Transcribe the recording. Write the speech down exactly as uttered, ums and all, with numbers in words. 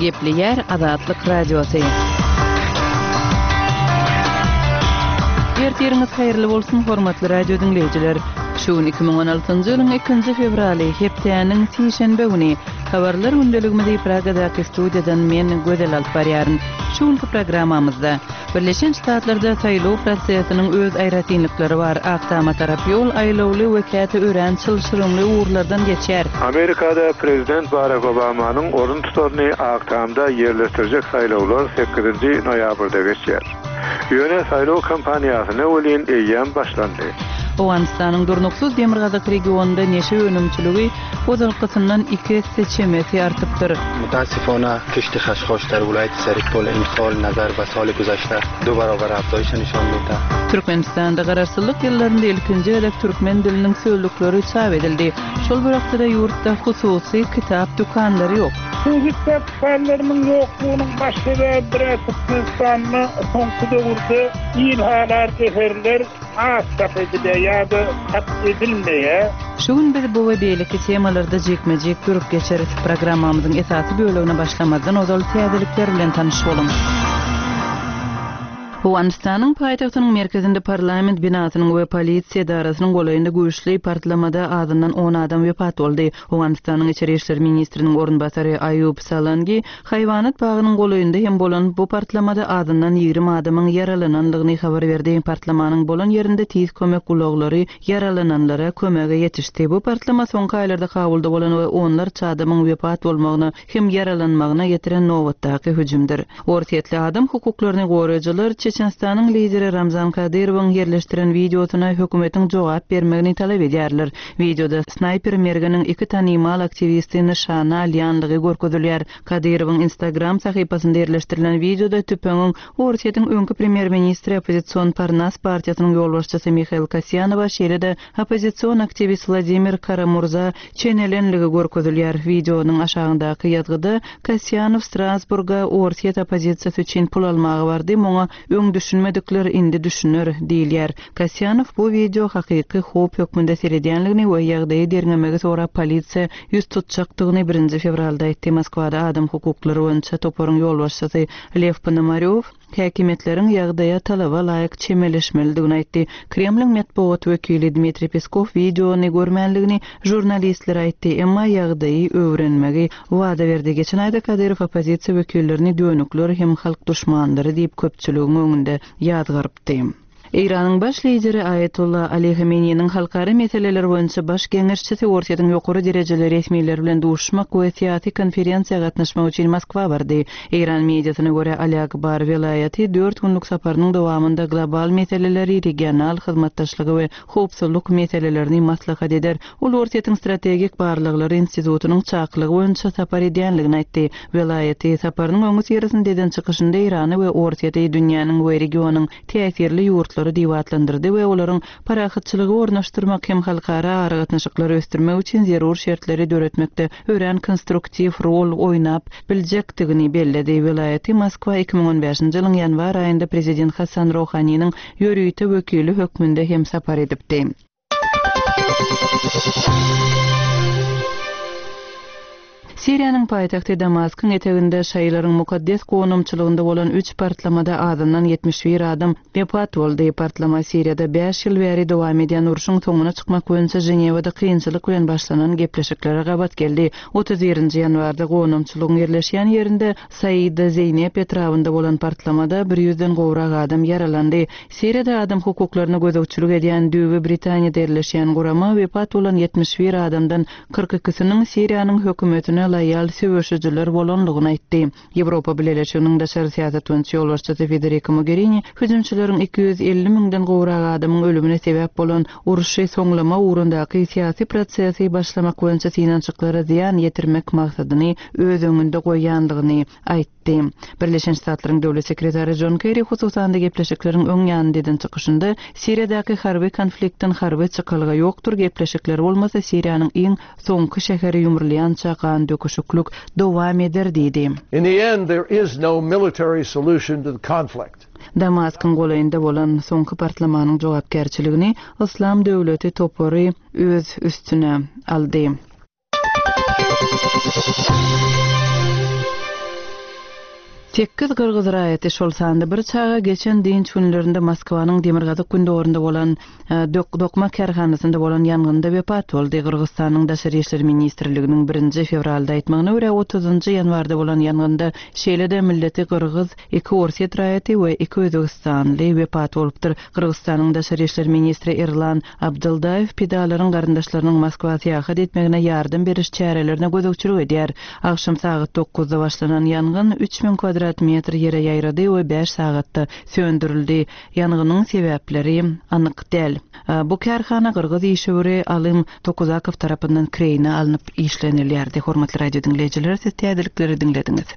Gepleýär Azatlyk Radiosy. Ertiriňiz haýyrly bolsun, hormatly radio diňleýjiler! Şu gün iki müň on altynjy ýylyň ikinji fewraly, hepdäniň sişenbe güni. Habarlar gündeligimizi Pragadaky studiýadan men, Gözel alyp barýaryn. Şu günki programmamyzda, Birleşen Ştatlarda saýlaw prosesiniň öz aýratynlyklary bar, Ak Tama tarap ýol aýlawly we käte örän çylşyrymly ugurlardan geçýär. Amerikada prezident Barak Obamanyň orun tutaryny Ak Tamda ýerleşdirjek saýlawlar sekizinji noýabrda geçýär. Ýöne saýlaw kampaniýasyna welin eýýäm başlandy. Owganystanyň durnuksyz demirgazyk regionynda neşe önümçiligi ozalkysyndan iki esse çemesi artypdyr. متاسفانه کشت خشخاش در ولایت سرپل امسال نظر به سال گذشته دو برابر افزایش نشان میده. Türkmenistanda Garaşsyzlyk ýyllarynda ilkinji gezek türkmen diliniň sözlükleri çap edildi. Şol bir wagtda-da ýurtda hususy kitap dükanlary ýok. Hususy kitap dükanlarynyň ýoklugynyň baş sebäbi bir-ä Türkmenistanda soňky döwürde il halar eserler az çap edilýär ýa-da çap edilmeýär. Şu gün biz bu we beýleki temalarda jikme-jik durup geçeris. Programmamyzyň esasy bölegine başlamazdan ozal täzelikler bilen tanyş boluň. Owganystanyň paýtagtynyň merkezinde parlament binasynyň we polisiýa edarasynyň golaýynda güýçli partlamada azyndan on adam wepat boldy. Owganystanyň içeri işler ministriniň orunbasary Aýub Salangi haýwanat bagynyň golaýynda hem bolan bu partlamada azyndan ýigrimi adamyň ýaralanandygyny habar berdi. Partlamanyň bolan ýerinde tiz kömek ulaglary ýaralananlara kömege ýetişdi. Bu partlama soňky aýlarda Kabulda bolan we onlarça adamyň wepat bolmagyna hem ýaralanmagyna getiren nobatdaky hüjümdir. Orsýetli adam hukuklaryny goraýjylar Çeçenistanyň lideri Ramzan Kadyrowyň ýerleşdiren wideosyna hökümetiň jogap bermegini talap edýärler. Wideoda snaýper mergeniň iki tanymal aktiwisti nyşana alýanlygy görkezilýär. Kadyrowyň Instagram sahypasynda ýerleşdirilen wideoda tüpeňiň Orsýetiň öňki premýer-ministri oppozision Parnas partiýasynyň ýolbaşçysy Mihail Kasýanowa şeýle-de oppozision aktiwist Wladimir Karamurza çenelenligi görkezilýär. Wideonyň aşagyndaky ýazgyda Kasýanow Strasburga Orsýet oppozisiýasy üçin pul almaga bardy, muňa öň düşünmedikler indi düşüner diýilýär. Kasýanow bu wideo hakyky howp hökmünde seredýänligini we ýagdaýy derňemegi sorap polisiýa ýüz tutjakdygyny birinji fewralda aýtdy. Moskwada adam hukuklary boýunça toparyň ýolbaşçysy Lew Ponomarýow häkimiýetleriň ýagdaýa talaba laýyk çemeleşmelidigini aýtdy. Kremliň metbugat wekili Dmitriý Peskow wideony görmänligini žurnalistlere aýtdy, emma ýagdaýy öwrenmegi wada berdi. Geçen aýda Kadyrow oppozisiýa wekillerini dönükler hem halk duşmanlary diýip köpçüligiň öňünde ýazgarypdy. Eýranyň baş lideri Aýatollah Ali Hameneýiniň halkara meseleler boýunça baş geňeşçisi Orsýetiň ýokary derejeli resmileri bilen duşmak we syýasy konferensiýa gatnaşmak üçin Moskwa bardy. Eýran mediasyna görä Ali Akbar welaýaty dört günlük saparynyň dowamynda global meseleleri, regional hyzmatdaşlygy we howpsuzlyk meselelerini maslahat eder. Ol Orsýetiň strategik barlaglary institutynyň çakylygy boýunça sapar edýänligini aýtdy. Welaýaty saparynyň öňi syrasynda eden çykyşynda Eýrany we Orsýeti dünýäniň we regionyň täsirli ýurtlary diýip atlandyrdy we olaryň parahatçylygy ornaşdyrmak hem halkara aragatnaşyklary ösdürmek üçin zerur şertleri döretmekde örän konstruktiw rol oýnap biljekdigini belledi. Welaýaty Moskwa iki müň on bäşinji ýylyň ýanwar aýynda prezident Hasan Rohaniniň ýörite wekili hökmünde hem sapar edipdi. Siriýanyň paýtagty Damaskyň eteginde şaýlaryň mukaddes gonamçylygynda bolan üç partlamada azyndan ýetmiş bir adam wepat boldy. Partlama Siriýada bäş ýyl bäri dowam edýän urşuň soňuna çykmak boýunça Ženewada kynçylyk bilen başlanan gepleşiklere gabat geldi. Otuz birinji ýanwarda gonamçylygyň ýerleşýän ýerinde Saida Zeynep etrabynda bolan partlamada bir ýüzden gowrak adam ýaralandy. Siriýada adam hukuklaryna gözegçilik edýän düýbi Britaniýada ýerleşýän gurama wepat bolan ýetmiş bir adamdan kyrk ikisiniň Siriýanyň hökümetine loýal söweşijiler bolanlygyny aýtdy. Ýewropa Bileleşiginiň daşary syýasat boýunça ýolbaşçysy Federica Mogherini hüjümçileriň iki ýüz elli müňden gowrak adamyň ölümine sebäp bolan urşy soňlama ugrundaky syýasy prosesi başlamak boýunça synanyşyklara zyýan ýetirmek maksadyny öz öňünde goýýanlygyny aýtdy. Birleşen Ştatlaryň döwlet sekretary John Kerry hususan-da gepleşikleriň öň ýanynda eden çykyşynda Siriýadaky harby konfliktden harby çykalga ýokdur, gepleşikler bolmasa Siriýanyň iň soňky şäheri ýumrulýança gan döküşiklik dowam eder diýdi. In the end, there is no military solution to the conflict. Damaskyň golaýynda bolan soňky partlamanyň jogapkärçiligini Islam döwleti topary öz üstüne aldy. Sekiz gyrgyz raýaty, şol sanda bir çaga geçen dynç günlerinde Moskwanyň demirgazyk-gündogarynda bolan dokma kärhanasynda bolan ýangynda wepat boldy. Gyrgyzystanyň Daşary işler ministrliginiň birinji fewralda aýtmagyna görä, otuzynjy ýanwarda bolan ýangynda şeýle-de milleti gyrgyz iki orsýet raýaty we iki özbegistanly wepat bolupdyr. Gyrgyzystanyň Daşary işler ministri Erlan Abdyldaýew pidalaryň garyndaşlarynyň Moskwa syýahat etmegine ýardam beriş çärelerine gözegçilik edýär. Agşam sagat dokuzda başlanan ýangyn üç müň kwadrat metr ýere ýaýrady we bäş sagatda söndürildi. Ýangynyň sebäpleri anyk däl. Bu kärhana gyrgyz işewüri Alym Tokuzakow tarapyndan kireýine alnyp işlenilýärdi. Hormatly radio diňleýjiler, siz täzelikleri diňlediňiz.